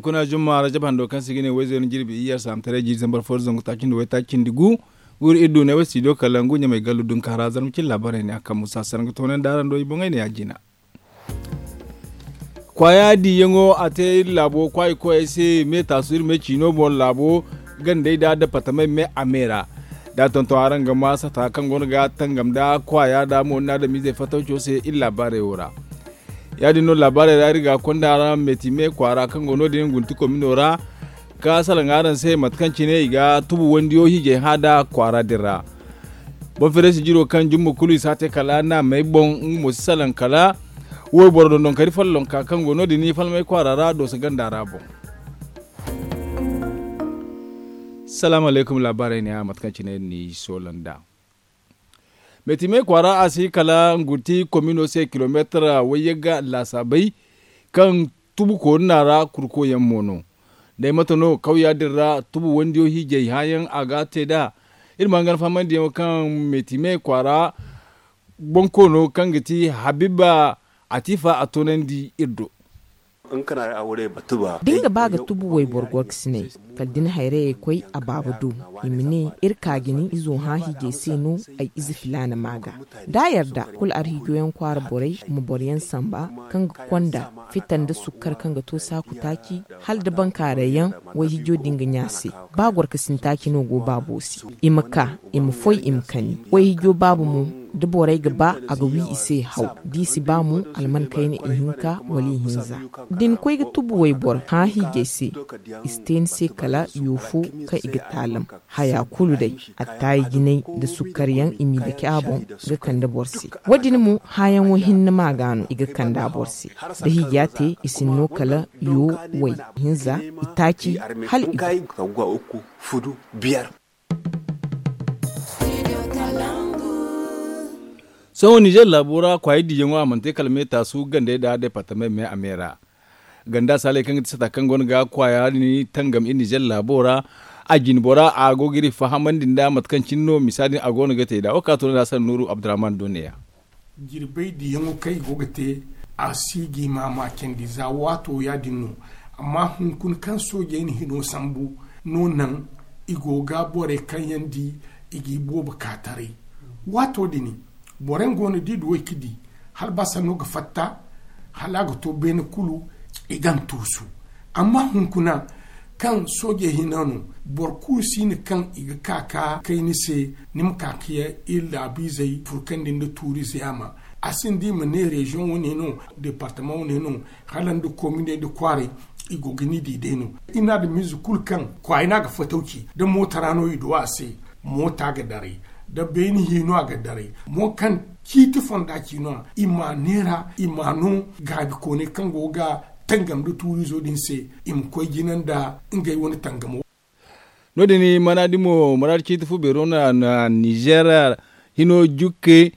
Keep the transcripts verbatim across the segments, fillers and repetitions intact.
Kuna zumma rajab hando kaŋ se i ga ne wayzey no jirbi iyye alsaamataray jiiri zambar fo da zangu taaci nda waytaaci cindi gu. Wuri iri du ne way studio kala ngu ɲamay gallu dunka ra zarma cine laabaarey ne a kaŋ musa sara nga toonandi araŋ do i boŋey ne ya jina. Kwaaya diiyaŋo a te iri laabo kwaayi koyey se me taasu iri me ciino boŋ laabo gandey da departamey me a me ra. Da a tonton araŋ ga ma sata kaŋ go no ga tangam da kwaaya da mo ni adamizey fatawco se iri laabaarey wo ra. Ya- din no laabaarey ra iri ga konda araŋ meti me kwaara kaŋ go no- din gunti komino ra ka salaŋ araŋ se mate kaŋ cine i ga tubu wandiyo hiijay hã da kwaara din ra. Boŋ fereesi jiro kaŋ jumma kulu i si a te kala naamey boŋ nga mo si salaŋ kala wayboro dondon kari follonka kaŋ go no- din falmey kwaara ra dooso ganda ra boŋ. Salaamu alaykum laabaarey ne a mate kaŋ cine ni soola nd'a. Meetimey kwaara a si kala ngunti komino se kilomeetar wayyagga laasaabey kaŋ tubu koorina ra kurkoyaŋ mo no. Day mate no kawya din ra tubu wandiyo hiijay hãyaŋ a ga te nd'a. Iri ma hangan fahamandiyaŋo kaŋ meetimey kwaara bonkoono kaŋ ga ti habiba atifa a toonandi iri do. Da ni ga ba ga tubu wayboro gorkasiney kala da ni hayrayey koy a baaba do i ma ne iri ka ga ni izo hã hiijay se no ay ize filaana ma ga da a yarda kulu arhiijoyaŋ kwaara borey ma boroyaŋ samba kaŋ ga konda fitta nda sukkar kaŋ ga to saaku taaci hala da bankaarayyaŋ wayhiijo din ga ɲa se. Ba gorkasin taaci no go baabo se i ma ka i ma foy i ma kani wayhiijo baaba mo da borey ga ba a ga wi i se haw da i si ba mo alman kayna ihinka wala ihinza da ni koy ga tubu wayboro hã hiijay se i si te ni se kala yo fo kaŋ i ga taalam haya kulu day attaayi jinay nda sukkaryaŋ i m'i dake a boŋ ga kande boro se. Wo- din mo hãyaŋo hinne ma ga no i ga kande a boro se da hiija te i sinno kala yo way hinza itaaci hala i go. Sohõ nizer laabo ra kwaayey diiyaŋo a mana te kala me taasu gandey nda deepartamey me a me ra. Ganda saaley kaŋ ga ti sata kaŋ go no ga kwaaya din tangam iri nizer laabo ra. A jinbora a go ga iri fahamandi nda mate kaŋ cine no misa din a go no ga te nd'a wo ka to no nda sannuuru abdurrahman do neeya. Jirbey diyaŋo kaŋ i go ga te a si gi maamaacandi za waato ya- din no. Amma hunkuna kaŋ soojey na hino sambu no naŋ i go ga borey kaŋ yaŋ di i ga i boobo ka taray. Waato din boro yaŋ go no da i du way ka di hala ba sanno ga fatta hala a ga to beene kulu i ga ni tuusu. Amma hunkuna kaŋ soojey hina no boro kulu si no kaŋ i ga ka ka kay ni se ni ma ka ka iri laabiizey furkandi nda tuuriize yaama. A sinda i ma ne reziyoŋ wane no deepartamaŋ wane no hala nda kominey nda kwaaray i go ga ni di day no. Iri na adamiize kulu kaŋ kwaay no a ga fatawci da moota ra no i du a se moota ga daray da beeni hi no a ga daray mo kaŋ ciiti fonda ci no i ma a neera i ma a no gaabikooney kaŋ go ga tangam nda tuuriizo din se i ma koy jina nda ngey wane tangamo. No- din maraadi mo maraadi ciiti fu beero na nizer hino jukke.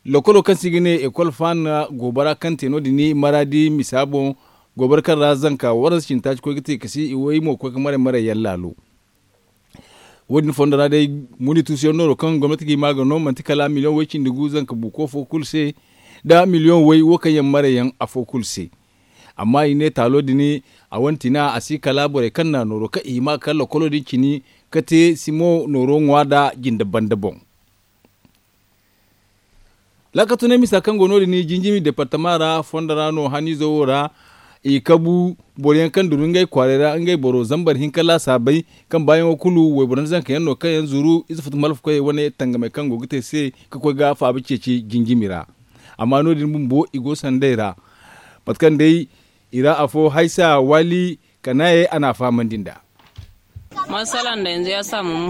Lokolo kaŋ se i ga ne ekol faana goobara kaŋ te no- din maraadi misa boŋ goobara kaŋ ra zanka waransa cindi taaci koy ga te kasi i way mo ga koy ga maray maray yaŋ laalo. Wo- din fondo ra day muuni tuusuyaŋ nooro kaŋ gomnati ga i ma ga no manti kala miliyoŋ way cindi gu zanka buuko fo kulu se nda miliyoŋ way wo kaŋ yaŋ marayyaŋ afo kulu se. Amma i ne taalo din a wane tina a si kala borey kaŋ na nooro kaŋ i hima ga kala lokolo din cini ka te simo nooro ŋwa nda jinde banda boŋ. Laakatunay misa kaŋ go no- din jinjimi deepartama ra fondo ra no haniizo wo ra i kabu boro yaŋ kaŋ duru ngey kwaaray ra ngey boro zambar hinka laasaabey kaŋ baayaŋo kulu wayboro nda zanka yaŋ no kaŋ yaŋ zuru ize futu malfa koyey wane tangamey kaŋ go ga te se ka koy ga faaba ceeci jinjimi ra. Amma no- din bumbo i go sandey ra mate kaŋ day i ra afo haysa waali kanaayey a na a fahamandi nd'a.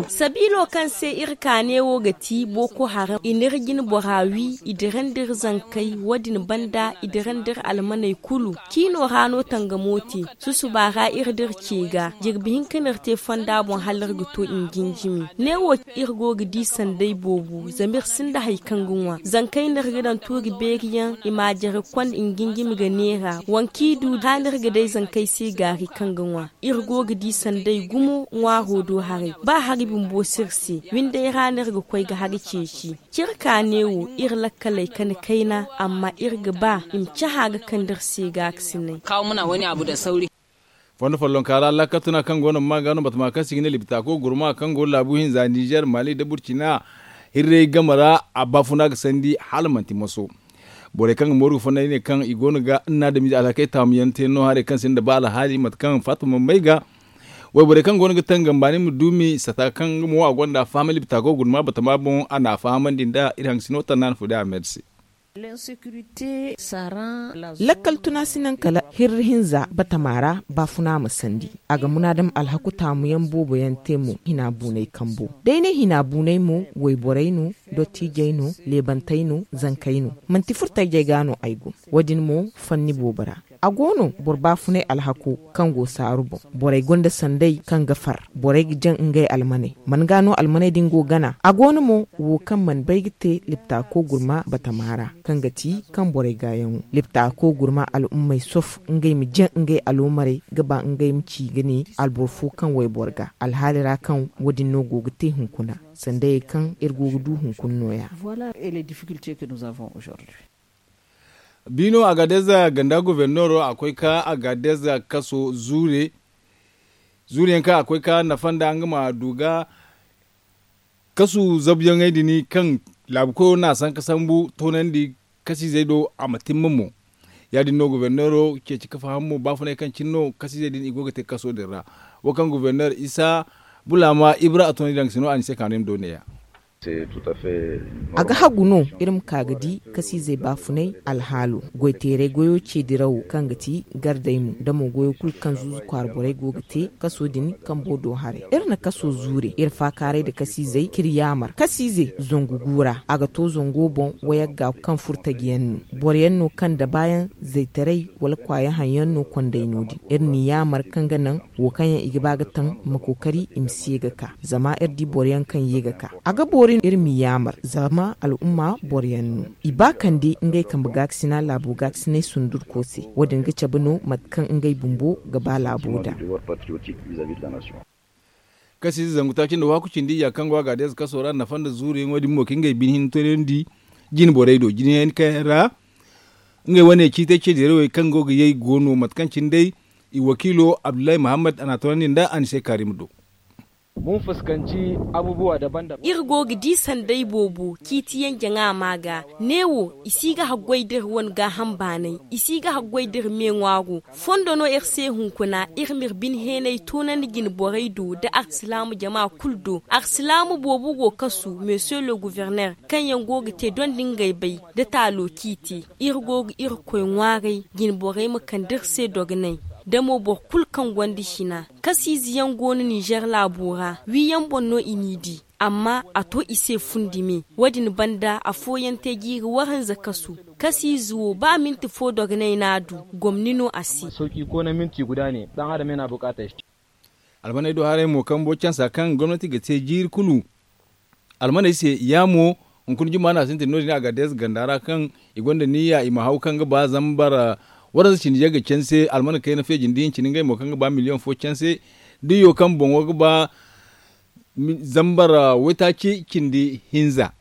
Sabiilo kaŋ se iri kaane wo ga ti booko haram i n'iri jine bora wi i dirandi iri zankey wo- din banda i dirandi iri almaney kulu. Ciino ra no tangamo te susuba ra iri da iri ce ga jirbi hinka no iri te fonda boŋ hala iri ga to i ma jinjimi neewo iri go ga di sanday boobo zama iri sinda hari kaŋ ga ŋwa zankey no iri ga daŋ tuuri beeri yaŋ i ma a jare konda i ma jinjimi ga neera waŋ kaŋ i du ra no iri ga day zankey se gaari kaŋ ga ŋwa. Iri go ga di sanday gumo ŋwaaro do haray ba hari bumbo si iri se windey ra no iri ga koy ga hari ceeci. Ciri kaane wo iri lakkaley kani kayna amma iri ga ba i ma cahã ga kande iri se gaakasinay. Kawo muna wani abu da sauri. Fondo follonka ra laakal tuna kaŋ go no ma ga no batama kaŋ se i ga ne liptaako gurma kaŋ go laabu hinza nizer mali nda burcina hirray game ra a baafuna ga sandi hala manti moso. Borey kaŋ ga mooru ga fonda i ne kaŋ i go no ga nna adamize alhakey taamu yaŋ te no haray kaŋ sinda ba alhaali mate kaŋ faatuma may ga wayborey kaŋ go no ga tangam baani ma duumi sata kaŋ nga mo a gonda a fahamay liptaako gurma batama boŋ a na a fahamandi nda iri haŋ sino tannaani fo day a meeri se. Lakkal tuna si naŋ kala hirri hinza batama ra baafuna ma sandi. A ga munaadam alhaku taamu yaŋ boobo yaŋ te mo hina buunay kambo. Day ne hina buunay mo wayborey no, dottiijey no, leebantey no, zankey no. Manti furtajey ga no ay go. Wo- din mo fanni boobo ra a go no boro baafunay alhako kaŋ go saaru boŋ. Borey gonda sanday kaŋ ga far borey ga jaŋ ngey almaney. Man ga no almaney din go gana a go no mo wo kaŋ mana bay ga te liptaako gurma batama ra kaŋ ga ti kaŋ borey gaayaŋo liptaako gurma al'ummey sof ngey ma jaŋ ngey aloomarey ga ba ngey ma ci ga ne alboro fo kaŋ wayboro ga alhaali ra kaŋ wo- din no go ga te hunkuna sandayey kaŋ iri go ga du hunkuna nooya. Biino agadez ganda governeero a koy ka agadez kaso zuure zuure yaŋ kaŋ a koy ka nafa nda nga ma du ga kasu zabuyaŋey din kaŋ laabu koyo no a sanka sambu toonandi kasiizey do a ma timma mo. Ya- din no governeero ceeci ka faham mo baafunay kaŋ cine no kasiizey din i go ga te kaso din ra. Wo kaŋ governeer isa bulaama ibra a toonandi daŋ ga si no a ni se kaanu yaŋ do neeya. A ga hagu no iri ma ka ga di kasiizey baafunay alhaalo goyteeray goyo ceedirawo kaŋ ga ti gardey mo da mo goyo kulu kaŋ zuuzu kwaara borey go ga te kaso din kambo do haray iri na kaso zuure iri faakaaray nda kasiizey k'iri yaamar kasiize zangu guura a ga to zango boŋ wayagga kaŋ furtaji yaŋ no boro yaŋ no kaŋ dabaayaŋ zaytaray wala kwaayaŋ haŋ yaŋ no konday no- din iri n'i yaamar kaŋ ga naŋ wo kaŋ yaŋ i ga ba ga taŋ ma kookari i ma si ye ga ka zama iri di boro yaŋ kaŋ ye ga ka a ga boori iri m'i yaamar zama al'umma boro yaŋ no i ba kande ngey kambe gaakasina laabo gaakasinay sundurko se wo- din ga cabe no mate kaŋ ngey bumbo ga ba laabo nd'a. Kasiize zangu taaci nda waaku cindi iyya kaŋ go a ga a deeze kaso ra nafa nda zuuru yaŋo din mo ka ngey bine hinne toonandi jine borey do jine yaŋ kaŋ ra ngey wane ciitay ceedirawey kaŋ go ga yay go no mate kaŋ cine day i wakiilo abdullahi muhammad a n'a toonandi nda a ni se kaari ma do. Iri go ga di sanday boobo ciitiyaŋ jaŋa ma ga neewo i si ga haggoy da iri wane gaaham baanay i si ga haggoy da iri me ŋwaaro fondo no iri se hunkuna iri m'iri bine heenay toonandi jine borey do nda arsilaamu jama kulu do arsilaamu boobo go kasu monsieur le gouverneur kaŋ yaŋ go ga te dondi ngey bay nda taalo ciiti iri go ga irkoy ŋwaaray jine borey ma kande iri se dogonay da mo boro kulu kaŋ gonda hina kasiize yaŋ go no ninzeer laabo ra wiyaŋ boŋ no i n'i di amma a to i se fundi me wo- din banda afooyaŋ te jiiri waranza kasu kasiize wo ba minti fo dogonay no a du gomni no a se. Almaney do haray mo kambo cansa kaŋ gomnati ga te jiiri kulu almaney se yaamo hunkuna juma no a sintin no- din a ga deeza ganda ra kaŋ i gonda niyya i ma haw kaŋ ga ba zambar waranza cindi yagga canse almana kayna feejin da hincin ngey mo kaŋ ga ba miliyoŋ fo canse diyo kaŋ boŋo ga ba zambar waytaaci cindi hinza.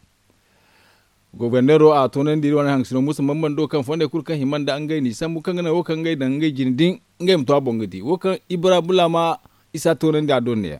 Goborneero a toonandi iri wane haŋ sino musa bambando kaŋ fondey kulu kaŋ hima nda ngey n'i sambu kaŋ ga naŋ wo kaŋ ngey daŋ ngey jine din ngey ma to a boŋ ga di wo kaŋ ibra bulaama isa toonandi a do neeya.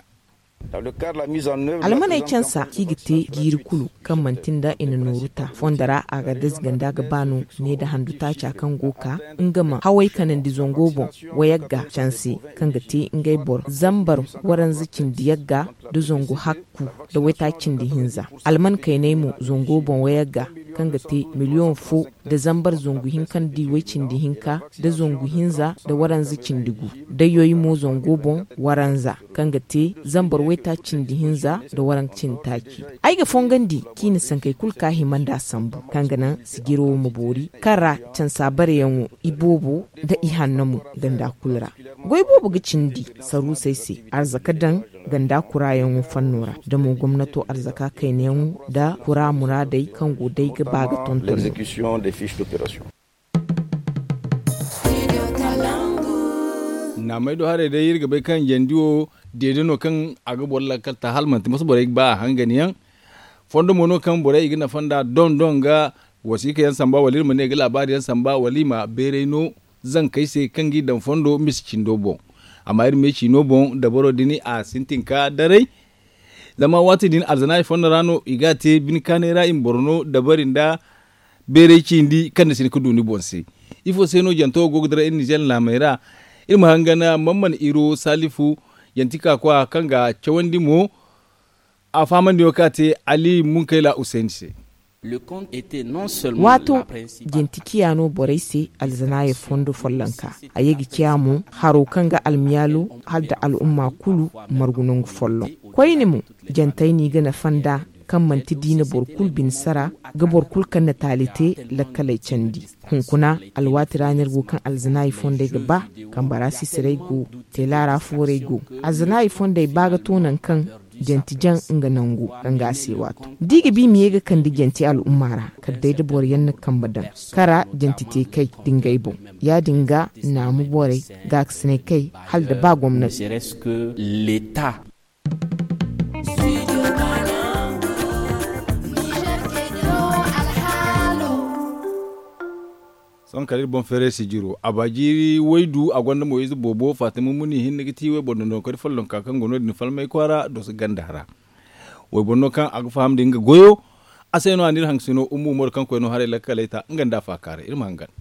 Almaney cansa kaŋ i ga te jiiri kulu kaŋ manti nda i na nooru ta fondo ra a ga dazganda ga ba no ne nda handu taaca kaŋ go ka nga ma haway kanandi zango boŋ wayagga canse kaŋ ga te ngey boro zambar waranza cindi yagga nda zangu hakku nda waytaaci cindi hinza alman kayney mo zango boŋ wayagga kaŋ ga te miliyoŋ fo nda zambar zangu hinka nda way cindi hinka nda zangu hinza nda waranza cindi gu nda yoy mo zango boŋ waranza kaŋ ga te zambar waytaaci cindi hinza nda waranza cindi taaci. Ay ga fongandi kaŋ i na sankey kulu ka hima nda sambu kaŋ ga naŋ sijiro wo ma boori kaŋ ra cansa bareyaŋo iboobo nda ihanno mo ganda kulu ra. Goy boobo ga cindi saruusey se arzaka daŋ ganda kuraayaŋo fanno ra da mo gomnato arzaka kaynayaŋo nda kuraa muraadey kaŋ go day ga ba ga tonton. Naamey do haray day iri ga bay kaŋ jandi wo deede no kaŋ a ga boro lakkal ta hala manti masa borey ga ba a hangan yaŋ. Fondo mo no kaŋ borey i ga nafa nda doŋ doŋ ga wasiika yaŋ samba wala iri ma ne ga laabaari yaŋ samba wala i ma beeray no zankey se kaŋ g'i daŋ fondo misi cindo boŋ. Amma iri me ciino boŋ dabaro din a sintin ka daray. Zama waati din alzanaari fondo ra no i ga a te bine kaanay ra i ma boro no dabari nda beeray cindi kaŋ ni si hin ka du ni boŋ se. Ifo se no jante wo go ga dira iri nizeer laamey ra? Iri ma hangan mamman iro salifu, jante ka koy a kaŋ ga cawandi mo. A fahamandi wo kaŋ a te ali munkayla usayni se. Waato, janti ciya no borey se alzanaaya fondo follonka. A ye ga ciya mo haro kaŋ ga almiyaalo hala nda al'umma kulu margu nangu folloŋ. Koyne mo, jantey no i ga nafa nd'a kaŋ manti diina boro kulu bine sara ga boro kulu kaŋ na taali te lakkaley candi. Hunkuna alwaati ra no iri go kaŋ alzanaaya fondey ga ba, kambara sisirey go, teelaara foorey go. Alzanaaya fondey ba ga to nangu kaŋ janti jaŋ nga nangu kaŋ ga a se waato. Da i ga ba i ma ye ga kande janti al'umma ra, kala day da boro yaŋ na kambe daŋ kara janti te kay da ngey boŋ. Ya-din ga naamu borey gaakasinay kay hala da ba gomnati. Sohõ kala iri boŋ feeray sijiro a ba jiiri waydu a gonda mo ize boobo fatima muni hinne ga ti wayboro dondonkoy follonka kaŋ go no- din falmay kwaara doso ganda ra. Wayboro no kaŋ a ga faham da nga goyo. A se no a na iri hangasino ummu umaru kaŋ koy no haray lakkaley ta nga nda a faakaaray iri ma hangan.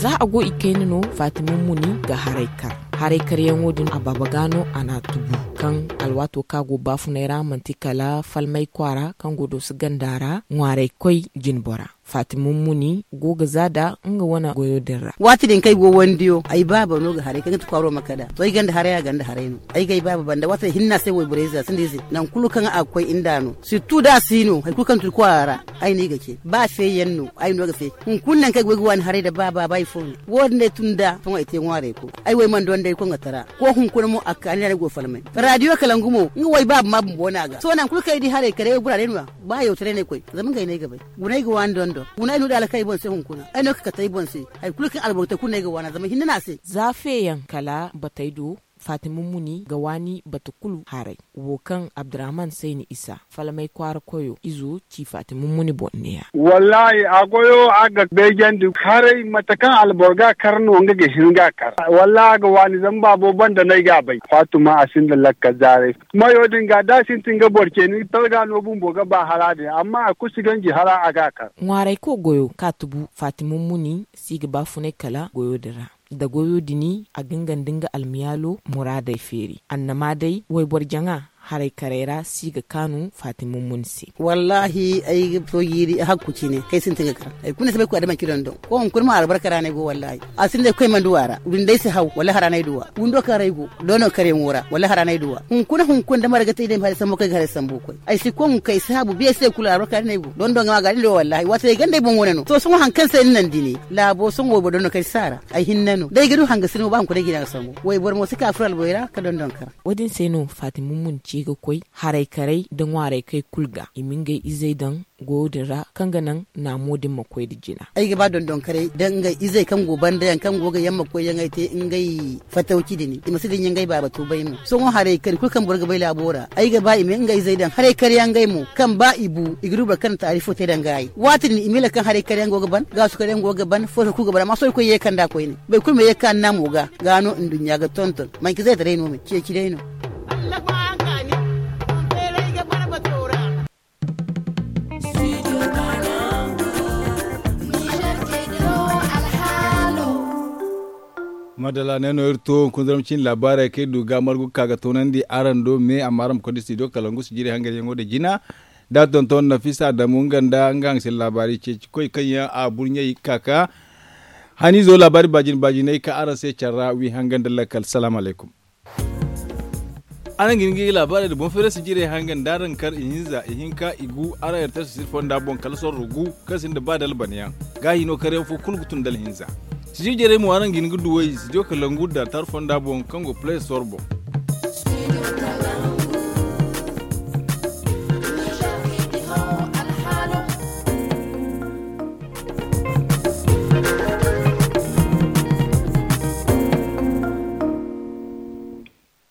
Za a go i kayna no fatima muni ga haray kar. Haray karyaŋo din a baaba ga no a n'a tubu kaŋ alwaato kaŋ a go baafunay ra manti kala falmay kwaara kaŋ go dooso ganda ra ŋwaaraykoy jinbora. Fatima muni go ga za da nga wane goyo din ra. Waati din kaŋ ay go wandiyo ay baaba no ga haray kaŋ ga ti kwaaro ma kada to ay ganda haray a ganda haray no. Ay ga ay baaba banda waati day hinne a se wayborey ize a sinda ize nangu kulu kaŋ a ga koy nda no sirtu da a si no hari kulu kaŋ tun kwaara ra. Ay no i ga ce ba feeyaŋ no ay no ga feey. Hunkuna nangu kaŋ ay go ay ga waani haray nda baaba ba ifo no. Wo- din day tun nda sohõ ay te ŋwaarayko ay way mana donda ay koŋatara. Ko hunkuna mo a ga ka ni ra ni go falmay. Raadiyo kalangu mo nga way baaba ma bumbo no a ga sohõ nangu kulu kaŋ ay di haray kala ay way guraray no- ya. Ba yawtaray no ay koy zama ngey no ay ga bay. Guna ay ga waani dondon guna ay no da alka ay boŋ se hunkuna ay no ga kate ay boŋ se. Hari kulu kaŋ alboro te kulu no ay ga waana zama hinne no a se. Za feeyaŋ kala batey do. Fatima muni ga waani bata kulu haray. Wo kaŋ abdurrahman sayni isa falmay kwaara koyo izo ci fatima muni boŋ ne- ya. Wallaahi a goyo a ga beejandi haray mate kaŋ alboro ga a kar no nga ga hin ga a kar. Wallaahi a ga waani zama baabo banda no ay ga a bay fatima a sinda lakkal zaaray. Mayo din ga da a sintin ga boro ce ni talga no bumbo ga ba hala din amma a kulu si ganji hala a ga a kar. Ŋwaarayko goyo kaŋ a tubu fatima muni si ga baafunay kala goyo din ra. Da goyo din a ga nga nda nga almiyaalo muraadey feeri annama day wayboro jaŋa haray karay ra si ga kaanu fatima muni se. Wallaahi ay ga to jiiri hakku cine kaŋ ay sintin ga kar hari kulu no ay si bay koy a da manci dondon. Ko hunkuna mo albarka ra no ay go wallaahi. A sinda ay koy mana du a ra windi ay si haw wallaahi hara no ay du a windo kaŋ ra ay go. Dondon karyaŋo ra wallaahi hara no ay du a hunkuna hunkuna da marga te ay day ma haray sambu kaŋ ay ga haray sambu koy ay si koŋ kay saabu biya si day kulu albarka din ay go dondon ga ma ga din do wallaahi waati day ganda ay boŋ wane no to sohõ hari kaŋ se ni naŋ dini. Laabo sohõ wayboro dondon kay si a ra. Ay hinne no da ay ga du hangasiri mo ba hunkuna ay ga i naŋ sambu wayboro mo si ka furo alboy ra ka dondon kar. Wo- din se no fatima muni ci ga koy haray karay nda ŋwaaray kay kulu ga i ma ngey izey daŋ goyo din ra kaŋ ga naŋ naamo din ma koy nda jina. Ay ga ba dondonkaray da ngey izey kaŋ go banda yaŋ kaŋ go ga yamma koy yaŋ ay te ngey fatawci din i ma si dinya ngey baaba tuubay mo sohõ haray kari kulu kaŋ boro ga bay laabo ra ay ga ba i ma ngey izey daŋ haray kari yaŋ ngey mo kaŋ ba i bu i ga du boro kaŋ na taarifo te daŋ gaayi waati din i ma ila kaŋ haray kari yaŋ go ga ban gaasu kari yaŋ go ga ban footo kulu ga ban amma sohõ i koy ye kanda koyne boro kulu ma ye kaŋ annamo ga ga no nduɲɲa ga tonton manci zaytaray no me ceeci day no. Madalla ne no iri to hunkuna zarma cine laabaarey kaŋ iri du ga margu ga ka ga toonandi araŋ do me amma araŋ ma koy da studio kalangu sijiri hanganyaŋo da jina da tonton nafisa adamu nga nda nga hangasina laabaari ceeci koy kaŋ yaŋ a burɲey ga ka ka haniizo laabaari baajine baajiney ka araŋ se care ra wi hangan da lakkal salaamu alaykum. Araŋ ga hin ga laabaarey nda boŋ feerey sijirey hangan da araŋ kar ihinza ihinka igu araŋ erter sisir fonda boŋ kala sorro gu kaŋ sinda ba dalbanayaŋ. Gaahi no karyaŋ fo kulu ga tun da alhinza. Sijir jarey mo araŋ ga hin ga duw'ey studio kalangu da tar fonda boŋ kaŋ go play store boŋ.